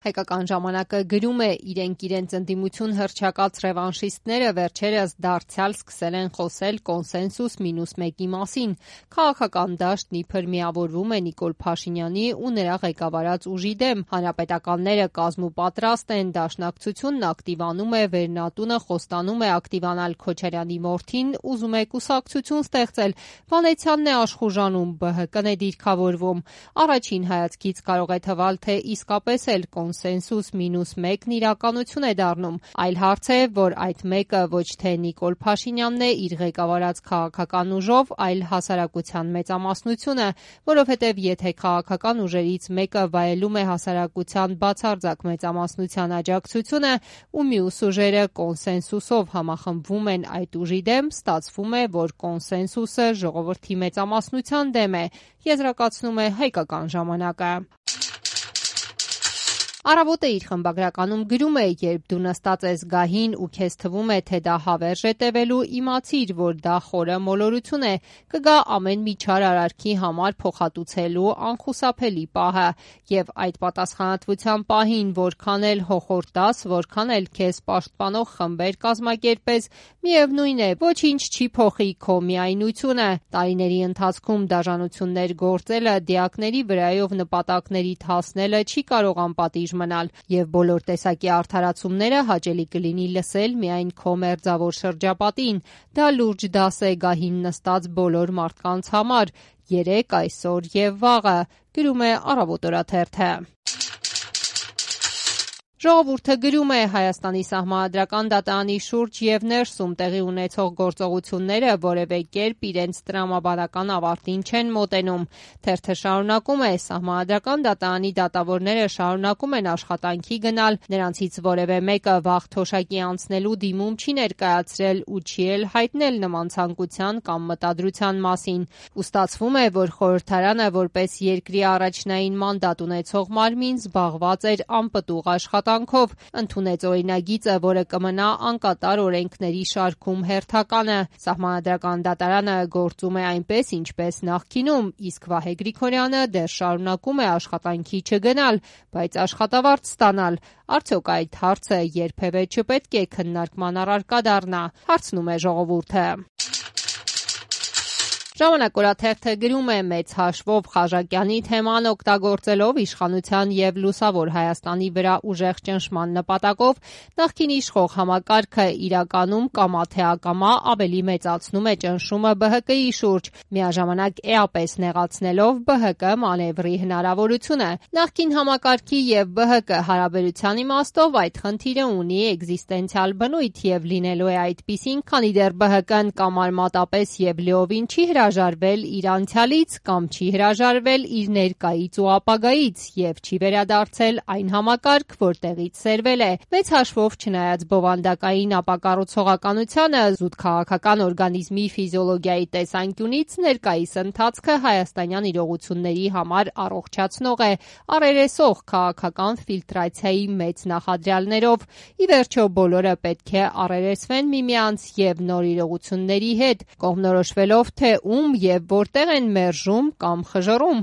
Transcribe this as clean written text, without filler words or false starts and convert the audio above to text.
Հայկական ժամանակը գրում է, իրենք ընդդիմություն հռչակած ռևանշիստները վերջերս դարձյալ սկսել են խոսել կոնսենսուս մինուս մեկի մասին։ Քաղաքական դաշտն իբր միավորվում է Նիկոլ Փաշինյանի ու նրա ղեկավարած ուժի դեմ։ Հանրապետականները կազմուպատրաստ են, Դաշնակցությունն ակտիվանում է, Վերնատունը խոստանում է ակտիվանալ Քոչարյանի որդին, ուզում է կուսակցություն ստեղծել, Վանեցյանն է աշխուժանում, ԲՀԿ-ն է դիրքավորվում։ Առաջին հայացքից կարող է թվալ, թե իսկապես էլ կոնսենսուս մինուս մեկն իրականություն է դառնում։ Այլ հարց է, որ այդ մեկը ոչ թե Նիկոլ Փաշինյանն է իր ղեկավարած քաղաքական ուժով, այլ հասարակության մեծամասնությունը, որովհետև եթե քաղաքական ուժերից մեկը վայելում է հասարակության բացարձակ մեծամասնության աջակցությունը ու մյուս ուժերը կոնսենսուսով համախմբվում են այդ ուժի դեմ, ստացվում է, որ կոնսենսուսը ժողովրդի մեծամասնության դեմ է, եզրակացնում է Հայկական ժամանակը։ Առավոտը իր խմբագրականում գրում է. երբ դու նստած ես գահին ու քեզ թվում է, թե դա հավերժ է տևելու, իմացիր, որ դա խորը մոլորություն է, կգա ամեն մի չար արարքի համար փոխհատուցելու անխուսափելի պահը, եւ այդ պատասխանատվության պահին որքան էլ հոխորտ տաս, որքան էլ քեզ պաշտպանող խմբեր կազմակերպես, միևնույն է, ոչինչ չի փոխի քո միայնությունը։ Տարիների ընթացքում դաժանություններ գործելը, դիակների վրայով նպատակներիդ հասնելը չի կարող անպատիժ մնալ, եւ բոլոր տեսակի արդարացումները հաճելի կլինի լսել միայն քո մերձավոր շրջապատին։ Դա լուրջ դաս է գահին նստած բոլոր մարդկանց համար, երեկ, այսօր եւ վաղը, գրում է Առավոտ օրաթերթը։ Ժողովուրդը գրում է. Հայաստանի Սահմանադրական դատարանի շուրջ եւ ներսում տեղի ունեցող գործողությունները որևէ կերպ իրենց տրամաբանական ավարտին չեն մոտենում։ Թերթը շարունակում է. Սահմանադրական դատարանի դատավորները շարունակում են աշխատանքի գնալ, նրանցից որևէ մեկը վաղ թոշակի անցնելու դիմում չի ներկայացրել ու չի էլ հայտնել նման ցանկության կամ մտադրության մասին։ Ու ստացվում է, որ խորհրդարանը որպես երկրի առաջնային մանդատ ունեցող մարմին զբաղված էր անպտուղ աշխատանքով, ընդունեց օրինագիծը, որը կմնա անկատար օրենքների շարքում հերթականը։ Սահմանադրական դատարանը գործում է այնպես, ինչպես նախկինում, իսկ Վահե Գրիգորյանը դեռ շարունակում է աշխատանքի չգնալ, բայց աշխատավարձ ստանալ։ Արդյոք այդ հարցը երբևէ չպետք է քննարկման առարկա դառնա, հարցնում է ժողովուրդը։ Ժամանակ օրաթերթը գրում է. մեծ հաշվով Խաժակյանի թեման օգտագործելով իշխանության եւ լուսավոր Հայաստանի վրա ուժեղ ճնշման նպատակով նախկին իշխող համակարգը իրականում կամա թե ակամա ավելի մեծացնում է ճնշումը ԲՀԿ-ի շուրջ, միաժամանակ էապես նեղացնելով ԲՀԿ մանևրի հնարավորությունը։ Նախկին համակարգի եւ ԲՀԿ հարաբերության իմաստով այդ խնդիրը ունի էկզիստենցիալ բնույթ եւ լինելու է այդպիսին, քանի դեռ ԲՀԿ-ն կամ արմատապես եւ լիովին չի հրաժարվել իր անցյալից կամ չի հրաժարվել իր ներկայից ու ապագայից եւ չի վերադարձել այն համակարգ, որտեղից սերվել է։ Մեծ հաշվով չնայած բովանդակային ապակառուցողականությանը, զուտ քաղաքական օրգանիզմի ֆիզիոլոգիայի տեսանկյունից ներկայիս ընթացքը հայաստանյան իրողությունների համար առողջացնող է, առերեսող քաղաքական ֆիլտրացիայի մեծ նախադրյալներով։ Ի վերջո բոլորը պետք է առերեսվեն միմյանց եւ նոր իրողությունների հետ, կողմնորոշվելով թե ում եւ որտեղ են մերժում կամ խժռում։